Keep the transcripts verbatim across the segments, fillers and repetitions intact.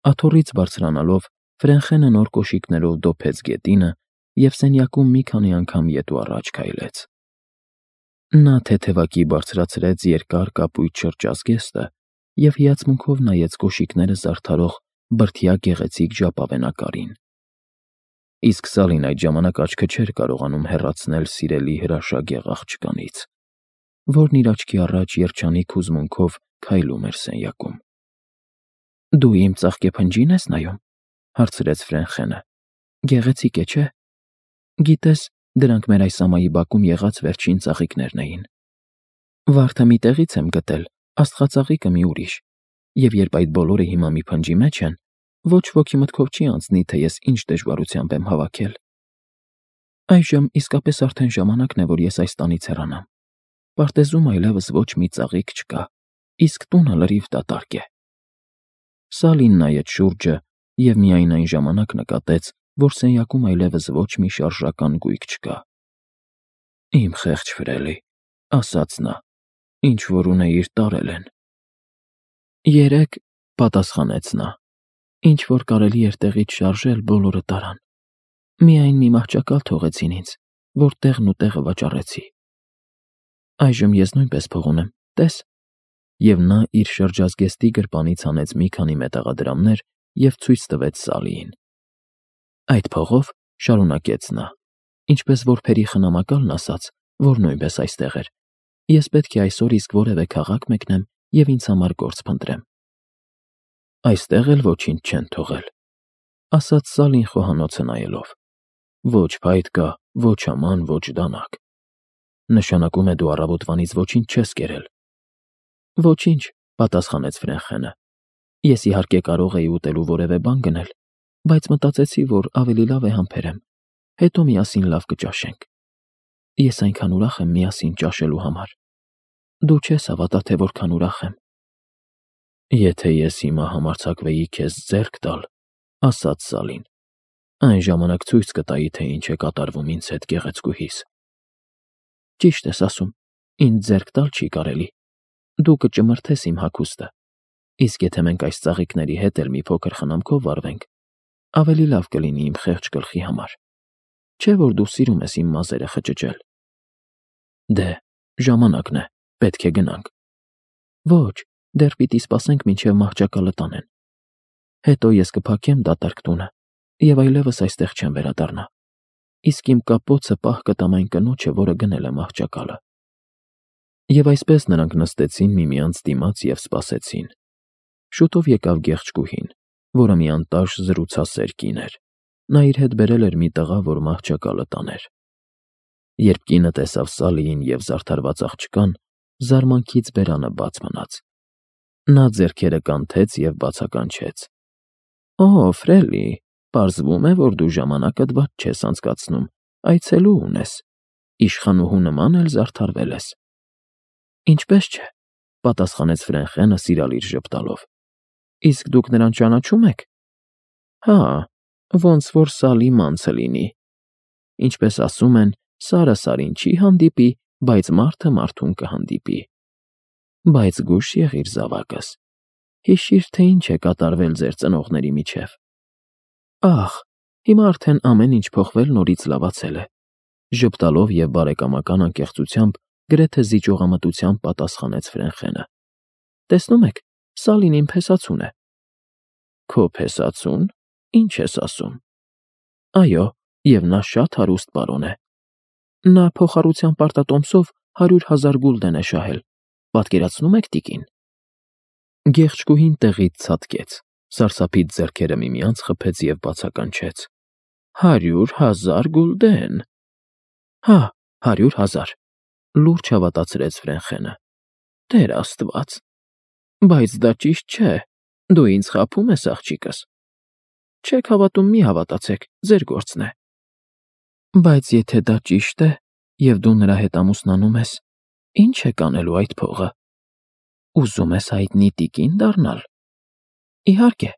Աթոռից բարձրանալով Ֆրենխենը նոր կոշիկներով դոփեց գետինը և սենյակում մի քանի անգամ ետ ու առաջ քայլեց։ Նա թեթևակի բարձրացրեց երկար կապույտ շրջազգեստը և հիացմունքով նայեց կոշիկները զարդարող բրդյա գեղեցիկ ժապավենակարին։ Իսկ Սալին այդ ժամանակ աչքը չէր կարողանում հեռացնել սիրելի հրաշագեղ աղջկանից, որն իր աչքի առաջ երջանիկ հուզմունքով քայլում էր սենյակում։ «Դու իմ ծաղկեփնջի՞ն ես նայում,֊ հարցրեց Ֆրենխենը։֊ Գեղեցիկ է, չէ՞։ Գիտես, դրանք մեր այս ամայի բակում եղած վերջին ծաղիկներն էին։ Վարդը մի տեղից եմ գտել, աստղածաղիկը մի ուրիշ, և երբ այդ բոլորը հիմա մի փնջի մեջ են, ոչ ոքի մտքով չի անցնի, թե ես ինչ դժվարությամբ եմ հավաքել։ Այժմ իսկապես արդեն ժամանակն է, որ ես այս տանից հեռանամ։ Պարտեզում այլևս ոչ մի ծաղիկ չկա, իսկ տունը լրիվ դատարկ է»։ Սալին նայեց շուրջը և միայն այն ժամանակ նկատեց, որ սենյակում այլևս ոչ մի շարժական գույք չկա։ «Իմ խեղճ Ֆրելի,֊ ասաց նա,֊ ինչ-որ ունեիր, տարել են»։ «Երեկ,֊ պատասխանեց նա,֊ ինչ֊որ կարելի էր տեղից շարժել, բոլորը տարան։ Միայն մի մահճակալ թողեցին ինձ, որ տեղն ու տեղը վաճառեցի։ Այժմ ես նույնպես փող ունեմ, տես»։ Եվ նա իր շրջազգեստի գրպանից հանեց մի քանի մետաղադրամներ և ցույց տվեց Սալիին։ «Այդ փողով,֊ շարունակեց նա,֊ ինչպես որբերի խնամակալն ասաց, որ նույնպես այստեղ էր, ես պետք է այսօր իսկ որևէ քաղաք մեկնեմ և ինձ համար գործ փնտրեմ»։ «Այստեղ էլ ոչինչ չեն թողել,֊ ասաց Սալին խոհանոցը նայելով,֊ ոչ փայտ կա, ոչ աման, ոչ դանակ։ Նշանակում է, դու առավոտվանից ոչինչ չես կերել»։ «Ոչինչ,֊ պատասխանեց Ֆրենխենը։ Ես իհարկե կարող էի ուտելու որևէ բան գնել, բայց մտածեցի, որ ավելի լավ է համբերեմ, հետո միասին լավ կճաշենք։ Ես այնքան ուրախ եմ միասին ճաշելու համար։ Դու չես հավատա, թե որքան ուրախ եմ»։ «Եթե ես հիմա համարձակվեի քեզ ձեռք տալ,֊ ասաց Սալին,֊ այն ժամանակ ցույց կտայի, թե ինչ է կատարվում ինձ հետ գեղեցկուհիս»։ «Ճիշտ ես ասում, ինձ ձեռք տալ չի կարելի։ Դու կճմրթես իմ հագուստը, իսկ եթե մենք այս ծաղիկների հետ էլ մի փոքր խնամքով վարվենք, ավելի լավ կլինի իմ խեղճ գլխի համար։ Չէ՞ որ դու սիրում ես իմ մազերը խճճել։ Դե, ժամանակն է, պետք է գնանք։ Ոչ, դեռ պիտի սպասենք, մինչև մահճակալը տանեն։ Հետո ես կփակեմ դատարկ տունը և այլևս այստեղ չեմ վերադառնա, իսկ իմ կապոցը պահ կտամ այն կնոջը, որը գնել է մահճակալը»։ Եվ այսպես նրանք նստեցին միմյանց դիմաց և սպասեցին։ Շուտով եկավ գեղեցկուհին, որը մի անտաշ զրուցասեր կին էր։ Նա իր հետ բերել էր մի տղա, որ մահճակալը տաներ։ Երբ կինը տեսավ Սալիին և զարդարված աղջկան, զարմանքից բերանը բաց մնաց։ Նա ձեռքերը կանթեց և բացականչեց. «Օ, Ֆրելի, պարզվում է, որ դու ժամանակդ վատ չես անցկացնում, այցելու ունես, իշխանուհու նման էլ զարդարվել ես»։ «Ինչպես չէ,֊ պատասխանեց Ֆրենխենը սիրալիր ժպտալով,֊ իսկ դուք նրան ճանաչո՞ւմ եք»։ «Հա, ոնց որ Սալի մանցը լինի։ Ինչպես ասում են, սարը սարին չի հանդիպի, բայց մարդը մարդուն կհանդիպի։ Բայց զգույշ եղիր, զավակս, հիշիր, թե ինչ է կատարվել ձեր ծնողների միջև։ Ահ, հիմա արդեն ամեն ինչ փոխվել, նորից լավացել է»։ Ժպտալով և բարեկամական անկեղծությամբ, գրեթե զիջողամտությամբ պատասխանեց Ֆրենխենը։ «Տեսնում եք, Սալին իմ փեսացուն է»։ «Քո փեսացո՞ւն, ինչ ես ասում»։ «Այո, և նա շատ հարուստ պարոն է։ Նա փոխառության պարտատոմսով հարյուր հազար գուլդեն է շահել, պատկերացնու՞մ եք, տիկին»։ Գեղեցկուհին տեղից ցատկեց, սարսափից ձեռքերը միմյանց խփեց և բացականչեց. «Հարյուր հազար գուլդեն»։ «Հա, հարյուր հազար», լուրջ հավատացրեց Ֆրենխենը։ «Տեր Աստված, բայց դա ճիշտ չէ, դու ինձ խաբում ես, աղջիկս։ Չեք հավատում, մի հավատացեք, ձեր գործն է։ Բայց եթե դա ճիշտ է, և դու նրա հետ ամուսնանում ես, ի՞նչ եք անելու այդ փողը։ Ուզում ես հայտնի տիկին դառնալ։ Իհարկե,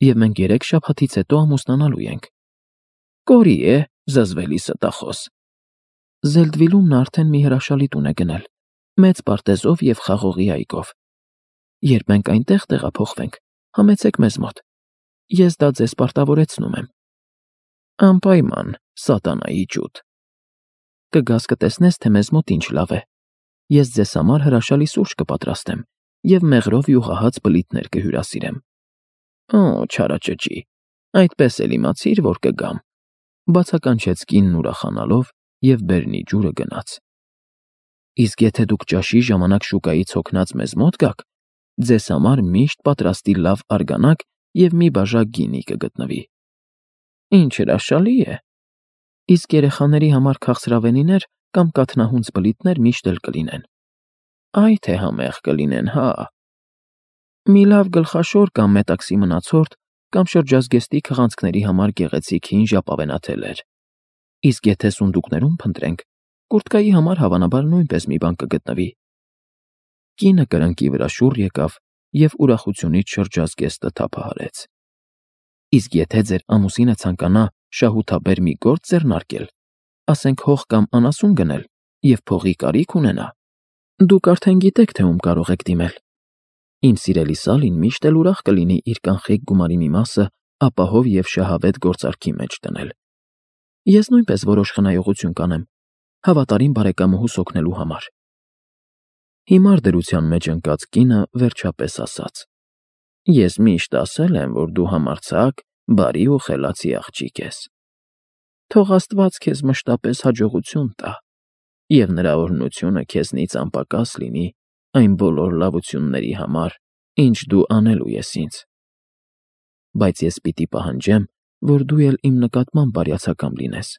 և մենք երեք շաբաթից հետո ամուսնանալու ենք։ Կորի է, զզվելի ստախոս։ Զելդվիլում նա արդեն մի հրաշալի տուն է գնել, մեծ պարտեզով և խաղողի այգով։ Երբ մենք այնտեղ տեղափոխվենք, համեցեք մեզ մոտ, ես դա ձեզ պարտավորեցնում եմ։ Անպայման, սատանայի ջուտ։ Կգաս կտեսնես, թե մեզ մոտ ինչ լավ է։ Ես ձեզ համար հրաշալի սուրճ կպատրաստեմ և մեղրով յուղահաց բլիթներ կհյուրասիրեմ։ Օ, չարաճճի, այդպես էլ իմացիր, որ կգամ, բացականչեց կինն ուրախանալով և բերնի ջուրը գնաց։ Իսկ եթե դուք ճաշի ժամանակ շուկայից հոգնած մեզ մոտ գաք, ձեզ համար միշտ պատրաստի լավ արգանակ և մի բաժակ գինի կգտնվի։ Ինչ հրաշալի է։ Իսկ երեխաների համար քաղցրավենիներ կամ կաթնահունձ բլիթներ միշտ էլ կլինեն։ Այ թե համեղ կլինեն, հա։ Մի լավ գլխաշոր կամ մետաքսի մնացորդ կամ շրջազգեստի քղանցքների համար գեղեցիկ հին ժապավենաթելեր։ Իսկ եթե սունդուկներում փնտրենք, կուրտկայի համար հավանաբար նույնպես մի բան կգտնվի։ Կինը կրնկի վրա շուռ եկավ և ուրախությունից շրջազգեստը թափահարեց։ Իսկ եթե ձեր ամուսինը ցանկանա շահութաբեր մի գործ ձեռնարկել, ասենք հող կամ անասուն գնել և փողի կարիք ունենա, դուք արդեն գիտեք, թե ում կարող եք դիմել։ Իմ սիրելի Սալին միշտ էլ ուրախ կլինի իր կանխիկ գումարի մի մասը ապահով և շահավետ գործարքի մեջ դնել։ Ես նույնպես որոշ խնայողություն կանեմ, հավատարիմ բարեկամուհուս օգնելու համար։ Հիմար դրության մեջ ընկած կինը վերջապես ասաց. Ես միշտ ասել եմ, որ դու համարձակ, բարի ու խելացի աղջիկ ես։ Թող Աստված քեզ մշտապես հաջողություն տա, և նրա օրհնությունը քեզնից անպակաս լինի այն բոլոր լավությունների համար, ինչ դու անելու ես ինձ։ Բայց ես պիտի պահանջեմ, որ դու էլ իմ նկատմամբ բարյացակամ լինես։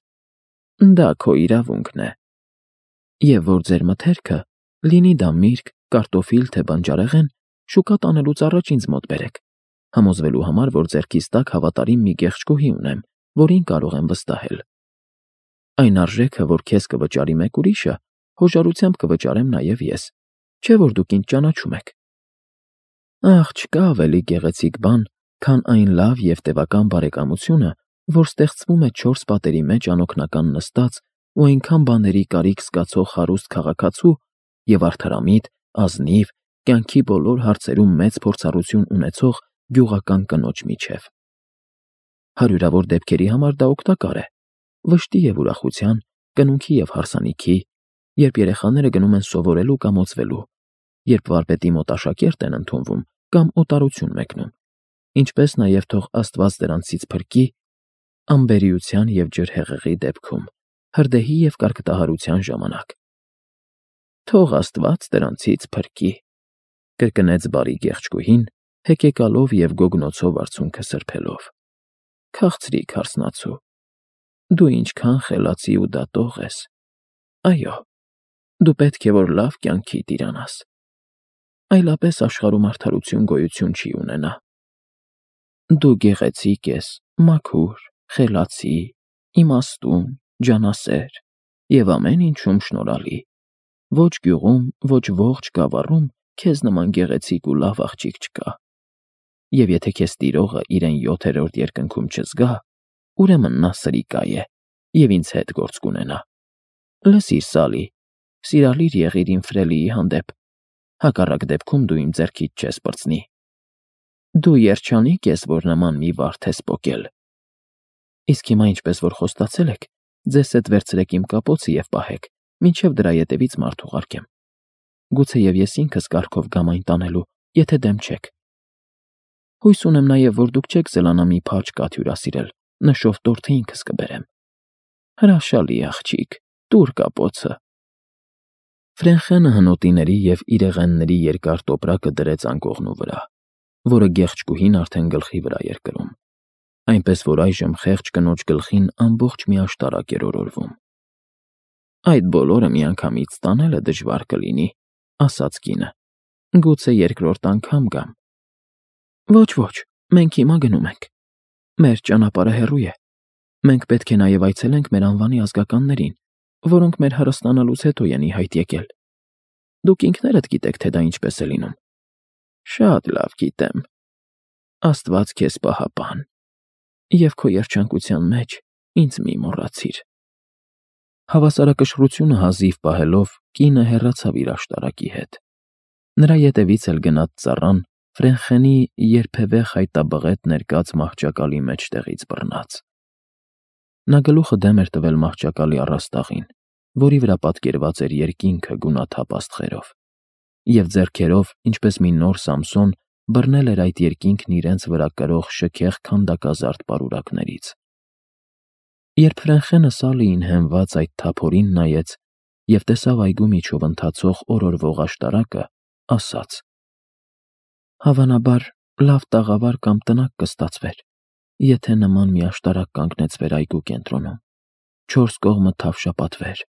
Դա քո իրավունքն է։ Եվ որ ձեր մթերքը, լինի դա միրգ, կարտոֆիլ, թե բանջարեղեն, շուկա տանելուց առաջ ինձ մոտ բերեք, համոզվելու համար, որ ձեռքիս տակ հավատարիմ մի գեղեցկուհի ունեմ, որին կարող եմ վստահել։ Այն արժեքը, որ քեզ կվճարի մեկ ուրիշը, հոժարությամբ կվճարեմ նաև ես, չէ՞ որ դուք ինձ ճանաչում եք։ Ախ, չկա ավելի գեղեցիկ բան, քան այն լավ և տևական բարեկամությունը, որ ստեղծվում է չորս պատերի մեջ անօգնական նստած ու այնքան բաների կարիք զգացող հարուստ քաղաքացու և արդարամիտ, ազնիվ, կյանքի բոլոր հարցերում մեծ փորձառություն ունեցող գյուղական կնոջ միջև։ Հարյուրավոր դեպքերի համար դա օգտակար է, վշտի և ուրախության, կնունքի և հարսանիքի, երբ երեխաները գնում են սովորելու կամ օծվելու, երբ վարպետի մոտ աշակերտ են ընդունվում կամ օտարություն մեկնում, ինչպես նաև թող Աստված դրանցից փրկի անբերիության և ջրհեղեղի դեպքում, հրդեհի և կարկտահարության ժամանակ։ Թող Աստված դրանցից փրկի, կրկնեց բարի գեղեցկուհին, հեկեկալով և գոգնոցով արցունքը սրբելով։ Քաղցրիկ հարսնացու, դու ինչքան խելացի ու դատող ես։ Այո, դու պետք է որ լավ կյանքի տիրանաս։ Այլապես աշխարհում արդարություն գոյություն չի ունենա։ Դու գեղեցիկ ես, մաքուր, խելացի, իմաստուն, ջանասեր և ամեն ինչում շնորհալի։ Ոչ գյուղում, ոչ ողջ գավառում քեզ նման գեղեցիկ ու լավ աղջիկ չկա։ Եվ եթե քեզ տիրողը իրեն յոթերորդ երկնքում չզգա, ուրեմն նա սրիկա է և ինձ հետ գործ կունենա։ Լսիր, Սալի, սիրալիր եղիր իմ Ֆրելիի հանդեպ, հակառակ դեպքում դու իմ ձեռքից չես պրծնի։ Դու երջանիկ ես, որ նման մի վարդ ես պոկել։ Իսկ հիմա, ինչպես որ խոստացել եք, ձեզ հետ վերցրեք իմ կապոցը և պահեք, մինչև դրա ետևից մարդ ուղարկեմ։ Գուցեև ես ինքս կառքով գամ այն տանելու, եթե դեմ չեք։ Հույս ունեմ նաև, որ դուք չեք զլանա մի փաջ կաթ հյուրասիրել, նշով տորթը ինքս կբերեմ։ Հրաշալի աղջիկ, տուր կապոցը։ Ֆրենխենը հնոտիների և իրեղենների երկար տոպրակը դրեց անկողնու վրա, որը գեղեցկուհին արդեն գլխի վրա էր կրում, այնպես որ այժմ խեղճ կնոջ գլխին ամբողջ մի աշտարակ էր օրորվում։ Այդ բոլորը միանգամից տանելը դժվար կլինի, ասաց կինը։ Գուցե երկրորդ անգամ գամ։ Ոչ, ոչ, մենք հիմա գնում ենք։ Մեր ճանապարհը հեռու է։ Մենք պետք է նաև այցելենք մեր անվանի ազգականներին, որոնք մեր հարստանալուց հետո են ի հայտ եկել։ Դուք ինքներդ գիտեք, թե դա ինչպես է լինում։ Շատ լավ գիտեմ։ Աստված քեզ պահապան։ Եվ քո երջանկության մեջ ինձ մի մոռացիր։ Հավասարակշռությունը հազիվ պահելով, կինը հեռացավ իր աշտարակի հետ։ Նրա ետևից էլ գնաց ծառան Ֆրենխենի երբևէ խայտաբղետ ներկած մահճակալի մեջտեղից բռնած։ Նա գլուխը դեմ էր տվել մահճակալի առաստաղին, որի վրա պատկերված էր երկինքը գունաթափ աստղերով, և ձեռքերով, ինչպես մի նոր Սամսոն, բռնել էր այդ երկինքն իրենց վրա կրող շքեղ քանդակազարդ պարուրակներից։ Երբ Ֆրենխենը Սալիին հենված այդ թափորին նայեց և տեսավ այգու միջով ընթացող օրորվող աշտարակը, ասաց. «Հավանաբար, լավ տաղավար կամ տնակ կստացվեր, եթե նման մի աշտարակ կանգնեցվեր այգու կենտրոնում, չորս կողմը թավշապատվեր,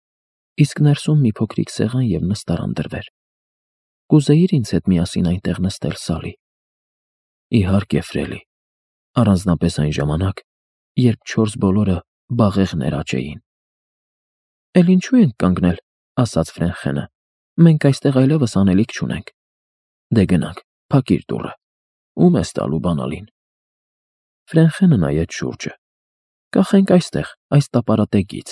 իսկ ներսում մի փոքրիկ սեղան և նստարան դրվեր։ Կուզեի՞ր ինձ հետ միասին այնտեղ նստել, Սալի»։ Իհարկե, Ֆրելի, առանձնապես այն ժամանակ, երբ չորս բոլորը բաղեղներ աճեին։ «Էլ ինչու ենք կանգնել», ասաց Ֆրենխենը, «մենք այստեղ այլևս անելիք չունենք։ Դե գնանք, փակիր դուռը, ո՞ւմ ես տալու բանալին»։ Ֆրենխենը նայեց շուրջը։ «Կախենք այստեղ, այս տապարատեգից։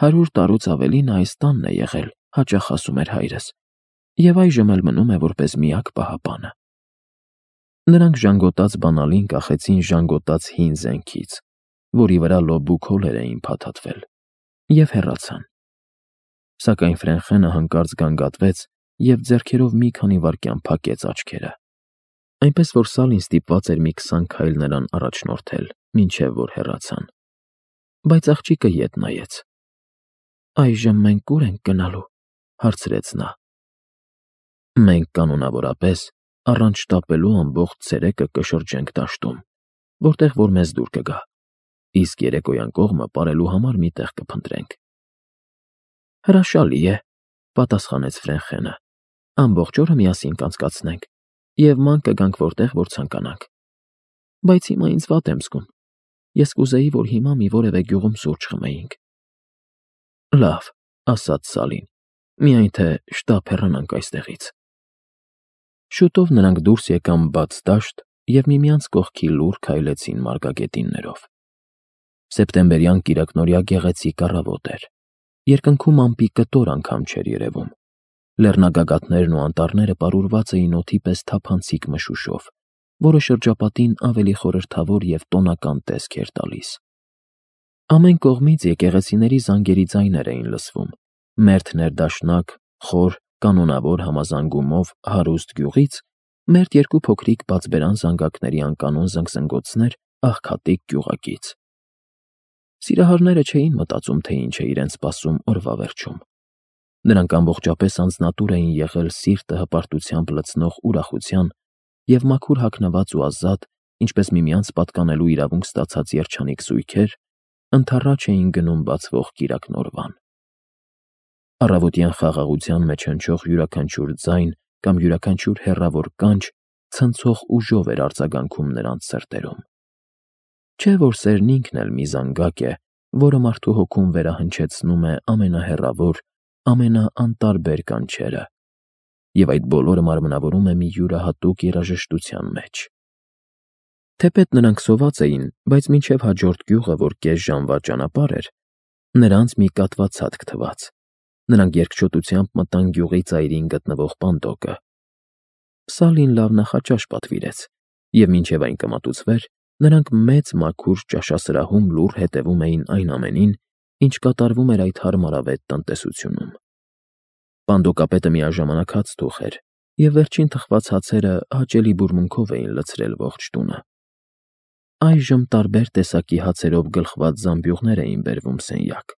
Հարյուր տարուց ավելի նա այս տանն է եղել», հաճախ ասում էր հայրս, «և այժմ էլ մնում է որպես միակ պահապանը»։ Նրանք ժանգոտած բանալին կախեցին ժանգոտած հին զենքից, որի վրա լոբու քոլեր էին փաթաթվել, և հեռացան։ Սակայն Ֆրենխենը հանկարծ գանգատվեց և ձեռքերով մի քանի վայրկյան փակեց աչքերը, այնպես որ Սալին ստիպված էր մի քսան քայլ նրան առաջնորդել, մինչև որ հեռացան։ Բայց աղջիկը ետ նայեց։ «Այժմ մենք ո՞ւր ենք գնալու», հարցրեց նա։ «Մենք կանոնավորապես առանց շտապելու ամբողջ ցերեկը կշրջենք դաշտում, որտեղ որ մեզ դուր կգա, իսկ երեկոյան կողմը պարելու համար մի տեղ կփնտրենք»։ «Հրաշալի է», պատասխանեց Ֆրենխենը, «ամբողջ օրը միասին կանցկացնենք և ման կգանք որտեղ որ ցանկանանք։ Բայց հիմա ինձ վատ եմ զգում, ես կուզեի, որ հիմա մի որևէ գյուղում սուրճ խմեինք»։ «Լավ», ասաց Սալին, «միայն թե շտապ հեռանանք այստեղից»։ Շուտով նրանք դուրս եկան բաց դաշտ և միմյանց կողքի լուռ քայլեցին մարգագետիններով։ Սեպտեմբերյան կիրակնօրյա գեղեցիկ առավոտ էր։ Երկնքում ամպի կտոր անգամ չէր երևում։ Լեռնագագաթներն ու անտառները պարուրված էին օդի պես թափանցիկ մշուշով, որը շրջապատին ավելի խորհրդավոր և տոնական տեսք էր տալիս։ Ամեն կողմից եկեղեցիների զանգերի ձայներ էին լսվում, մերթ ներդաշնակ, խոր, կանոնավոր համազանգումով հարուստ գյուղից, մերթ երկու փոքրիկ բացբերան զանգակների անկանոն զնգզնգոցներ աղքատիկ գյուղակից։ Սիրահարները չէին մտածում, թե ինչ է իրենց սպասում օրվա վերջում։ Նրանք ամբողջապես անձնատուր էին եղել սիրտը հպարտությամբ լցնող ուրախության և մաքուր հագնված ու ազատ, ինչպես միմյանց պատկանելու իրավունք ստացած երջանիկ զույգեր, ընդառաջ էին գնում բացվող կիրակնօրվան։ Առավոտյան խաղաղության մեջ հնչող յուրաքանչյուր ձայն կամ յուրաքանչյուր հեռավոր կանչ ցնցող ուժով էր արձագանքում նրանց սրտերում։ Չէ՞ որ սերն ինքն էլ մի զանգակ է, որը մարդու հոգում վերահնչեցնում է ամենահեռավոր, ամենաանտարբեր կանչերը, և այդ բոլորը մարմնավորում է մի յուրահատուկ երաժշտության մեջ։ Թեպետ նրանք սոված էին, բայց մինչև հաջորդ գյուղը, որ կես ժամվա ճանապարհ էր, նրանց մի կատվացածկ թվաց։ Նրանք երկչոտությամբ մտան գյուղի ծայրին գտնվող պանդոկը։ Սալին լավ նախաճաշ պատվիրեց, և մինչև այն կմատուցվեր, նրանք մեծ մաքուր ճաշասրահում լուռ հետևում էին այն ամենին, ինչ կատարվում էր այդ հարմարավետ տնտեսությունում։ Պանդոկապետը միաժամանակ հաց թուխ էր, և վերջին թխված հացերը հաճելի բուրմունքով էին լցրել ողջ տունը։ Այժմ տարբեր տեսակի հացերով գլխված զամբյուղներ էին բերվում սենյակ,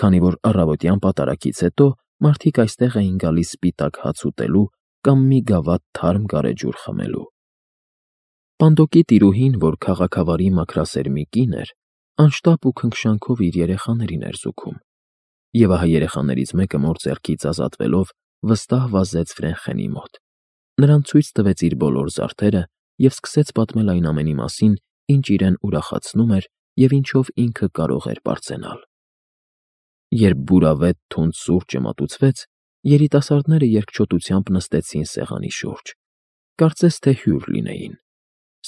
քանի որ առավոտյան պատարագից հետո մարդիկ այստեղ էին գալիս սպիտակ հաց ուտելու կամ մի գավաթ թարմ գարեջուր խմելու։ Պանդոկի տիրուհին, որ քաղաքավարի մաքրասերմի կին էր, անշտապ ու քնքշանքով իր երեխաներին էր զուգում, և ահա երեխաներից մեկը մոր ձեռքից ազատվելով վստահ վազեց Ֆրենխենի մոտ, նրան ցույց տվեց իր բոլոր զարդերը և սկսեց պատմել այն ամենի մասին, ինչ իրեն ուրախացնում էր և ինչով ինքը կարող էր պարծենալ։ Երբ բուրավետ թունդ սուրճը մատուցվեց, երիտասարդները երկչոտությամբ նստեցին սեղանի շուրջ, կարծես թե հյուր լինեին,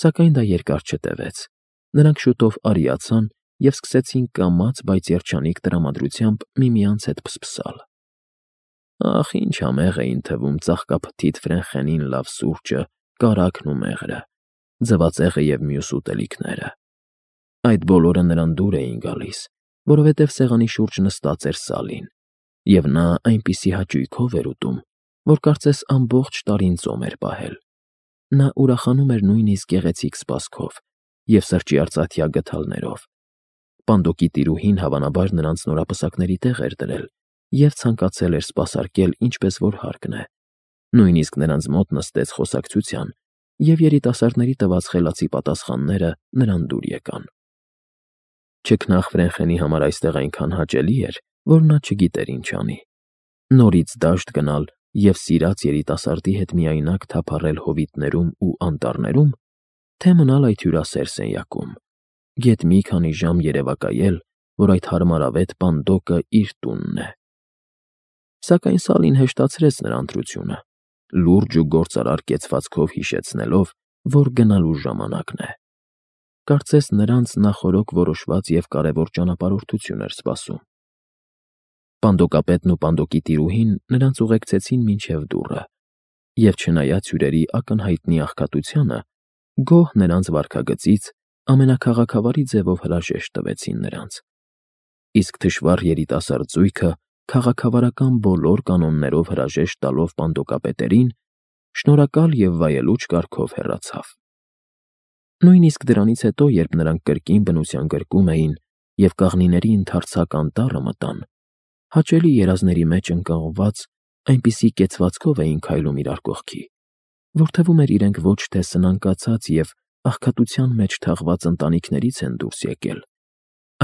սակայն դա երկար չտևեց։ Նրանք շուտով արիացան և սկսեցին կամաց, բայց երջանիկ տրամադրությամբ միմյանց հետ փսփսալ։ Ախ, ինչ համեղ էին թվում ծաղկափթիթ Ֆրենխենին լավ սուրճը կարագն ու մեղրը, ձվածեղը և մյուս ուտելիքները։ Այդ բոլորը նրան դուր էին գալիս, որովհետև սեղանի շուրջ նստած էր Սալին, և նա այնպիսի հաճույքով էր ուտում, որ կարծես ամբողջ տարին ծոմ էր պահել։ Նա ուրախանում էր նույնիսկ գեղեցիկ սպասքով և սրճի արծաթյա գդալներով։ Պանդոկի տիրուհին հավանաբար նրանց նորապսակների տեղ էր դրել և ցանկացել էր սպասարկել ինչպես որ հարկն է, նույնիսկ նրանց մոտ նստեց խոսակցության, և երիտասարդների տված խելացի պատասխանները նրան դուր եկան։ Չքնաղ Ֆրենխենի համար այստեղ այնքան հաճելի էր, որ նա չգիտեր ինչ անի. նորից դաշտ գնալ և սիրած երիտասարդի հետ միայնակ թափառել հովիտներում ու անտառներում, թե մնալ այդ հյուրասեր սենյակում, գեթ մի քանի ժամ երևակայել, որ այդ հարմարավետ Պանդոկը իր տունն է։ Սակայն Սալին հեշտացրեց նրա ընտրությունը, լուրջ ու գործարար կեցվածքով հիշեցնելով, որ գնալու ժամանակն է։ Կարծես նրանց նախօրոք որոշված և կարևոր ճանապարհորդություն էր սպասում։ Պանդոկապետն ու Պանդոկի տիրուհին նրանց ուղեկցեցին մինչև դուռը, և չնայած հյուրերի ակնհայտնի աղքատությանը, գոհ նրանց վարքագծից ամենաքաղաքավարի ձևով հրաժեշտ տվեցին նրանց, իսկ թշվառ երիտասարդ զույգը քաղաքավարական բոլոր կանոններով հրաժեշտ տալով պանդոկապետերին, շնորհակալ և վայելուչ կարգով հեռացավ։ Նույնիսկ դրանից հետո, երբ նրանք կրկին բնության գրկում էին և կաղնիների ընդարձակ անտառը մտան, հաճելի երազների մեջ ընկղմված այնպիսի կեցվածքով էին քայլում իրար կողքի, որ թվում էր իրենք ոչ թե սնանկացած և աղքատության մեջ թաղված ընտանիքներից են դուրս եկել,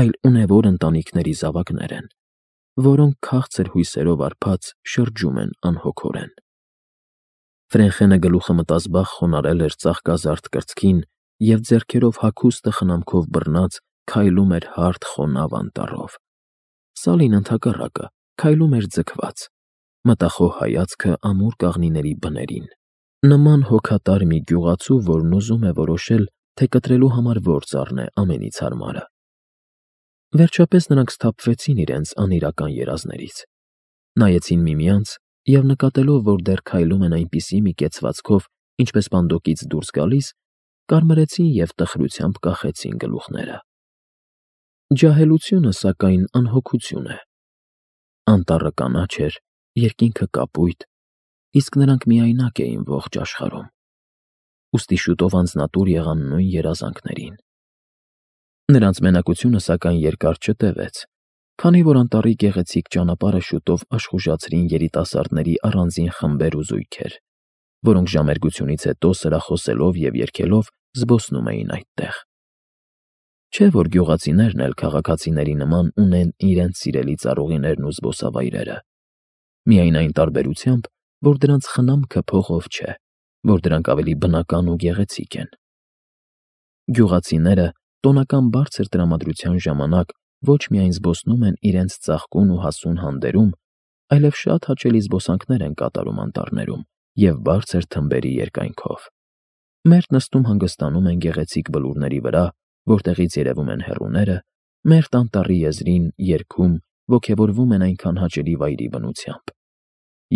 այլ ունևոր ընտանիքների զավակներ են, որոնք քաղցր հույսերով արբած շրջում են անհոգորեն։ Ֆրենխենը գլուխը մտազբաղ խոնարհել էր ծաղկազարդ կրծքին և ձեռքերով հագուստը խնամքով բռնած քայլում էր հարթ խոնավ անտառով։ Սալին, ընդհակառակը, քայլում էր ձգված, մտախոհ հայացքը ամուր կաղնիների բներին, նման հոգատար մի գյուղացու, որն ուզում է որոշել, թե կտրելու համար որ ծառն է ամենից հարմարը։ Վերջապես նրանք սթափվեցին իրենց անիրական երազներից, նայեցին միմյանց և նկատելով, որ դեռ քայլում են այնպիսի մի կեցվածքով, ինչպես պանդոկից դուրս գալիս, կարմրեցին և տխրությամբ կախեցին գլուխները։ Ջահելությունը, սակայն, անհոգություն է։ Անտառը կանաչ էր, երկինքը կապույտ, իսկ նրանք միայնակ էին ողջ աշխարհում, ուստի շուտով անձնատուր եղան նույն երազանքներին։ Նրանց մենակությունը, սակայն, երկար չտևեց, քանի որ անտառի գեղեցիկ ճանապարհը շուտով աշխուժացրին երիտասարդների առանձին խմբեր ու զույգեր, որոնք ժամերգությունից հետո սրախոսելով և երգելով զբոսնում էին այդտեղ։ Չէ՞ որ գյուղացիներն էլ քաղաքացիների նման ունեն իրենց սիրելի ծառուղիներն ու զբոսավայրերը, միայն այն տարբերությամբ, որ դրանց խնամքը փողով չէ, որ դրանք ավելի բնական ու գեղեցիկ են։ Գյուղացիները տոնական բարձր տրամադրության ժամանակ ոչ միայն զբոսնում են իրենց ծաղկուն ու հասուն հանդերում, այլև շատ հաճելի զբոսանքներ են կատարում անտառներում և բարձր թմբերի երկայնքով։ Մերթ նստում հանգստանում են գեղեցիկ բլուրների վրա, որտեղից երևում են հեռուները, մերթ անտառի եզրին, երգում, ոգևորվում են այնքան հաճելի վայրի բնությամբ։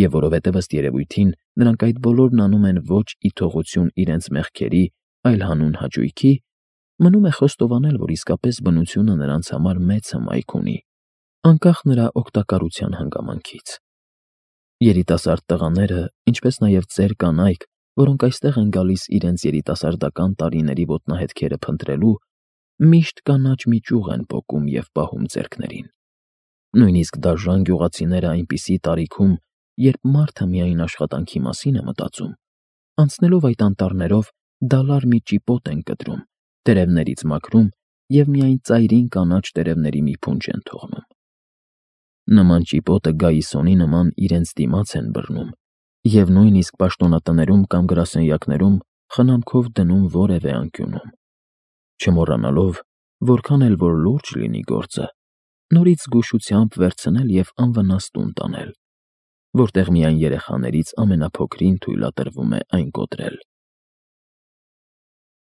Եվ որովհետև ըստ երևույթին նրանք այդ բոլորն անում են ոչ ի թողություն իրենց մեղքերի, այլ հանուն հաճույքի, մնում է խոստովանել, որ իսկապես բնությունը նրանց համար մեծ հմայք ունի, անկախ նրա օգտակարության հանգամանքից։ Երիտասարդ տղաները, ինչպես նաև ծեր կանայք, որոնք այստեղ են գալիս իրենց երիտասարդական տարիների ոտնահետքերը փնտրելու, միշտ կանաչ մի ճյուղ են պոկում և պահում ձեռքներին։ Նույնիսկ դաժան գյուղացիները այնպիսի տարիքում, երբ մարդը միայն աշխատանքի մասին է մտածում, անցնելով այդ անտառներով դալար մի ճիպոտ են կտրում, տերևներից մաքրում և միայն ծայրին կանաչ տերևների մի փունջ են թողնում։ Նման ճիպոտը գայիսոնի նման իրենց դիմաց են բռնում և նույնիսկ պաշտոնատներում կամ գրասենյակներում խնամքով դնում որևէ անկյունում, չմոռանալով, որքան էլ որ լուրջ լինի գործը, նորից զգուշությամբ վերցնել և անվնաս տուն տանել, որտեղ միայն երեխաներից ամենափոքրին թույլատրվում է այն կոտրել։